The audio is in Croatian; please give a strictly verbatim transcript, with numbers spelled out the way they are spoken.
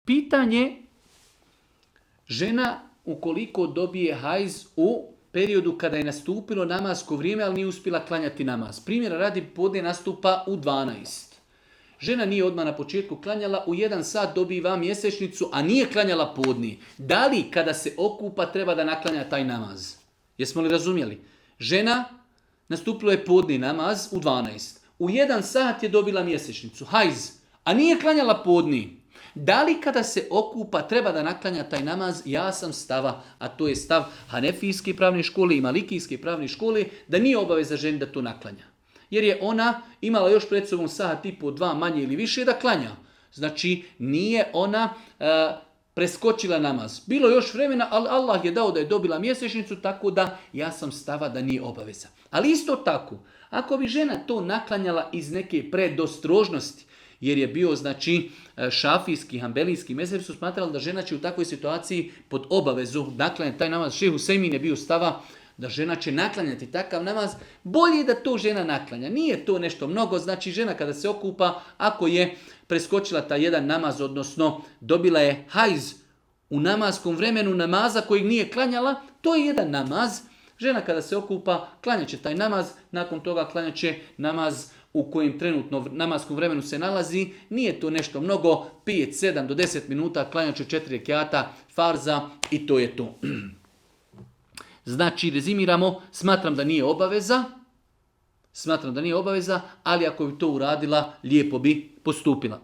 Pitanje, žena ukoliko dobije hajz u periodu kada je nastupilo namasko vrijeme, ali nije uspjela klanjati namaz. Primjera radi, podne nastupa u dvanaest. Žena nije odmah na početku klanjala, u jedan sat dobiva mjesečnicu, a nije klanjala podni. Da li kada se okupa treba da naklanja taj namaz? Jesmo li razumjeli? Žena, nastupilo je podni namaz u dvanaest. U jedan sat je dobila mjesečnicu, hajz, a nije klanjala podni. Da li kada se okupa treba da naklanja taj namaz? Ja sam stava, a to je stav Hanefijske pravne škole i Malikijske pravne škole, da nije obaveza ženi da to naklanja. Jer je ona imala još pred sobom sat i po dva manje ili više da klanja. Znači nije ona e, preskočila namaz. Bilo je još vremena, ali Allah je dao da je dobila mjesečnicu, tako da ja sam stava da nije obaveza. Ali isto tako, ako bi žena to naklanjala iz neke predostrožnosti, jer je bio, znači, šafijski, hambelijski mezheb su smatrali da žena će u takvoj situaciji pod obavezu naklanjati taj namaz. Šejh Husejmin je bio stava da žena će naklanjati takav namaz. Bolje je da to žena naklanja. Nije to nešto mnogo, znači žena kada se okupa, ako je preskočila taj jedan namaz, odnosno dobila je hajz u namaskom vremenu namaza kojeg nije klanjala, to je jedan namaz. Žena kada se okupa, klanjat će taj namaz, nakon toga klanjat će namaz u kojem trenutno namaskom vremenu se nalazi. Nije to nešto mnogo, pet, sedam do deset minuta, klanjat će četiri rekjata farza i to je to. Znači, rezimiramo, smatram da nije obaveza, smatram da nije obaveza, ali ako bi to uradila, lijepo bi postupila.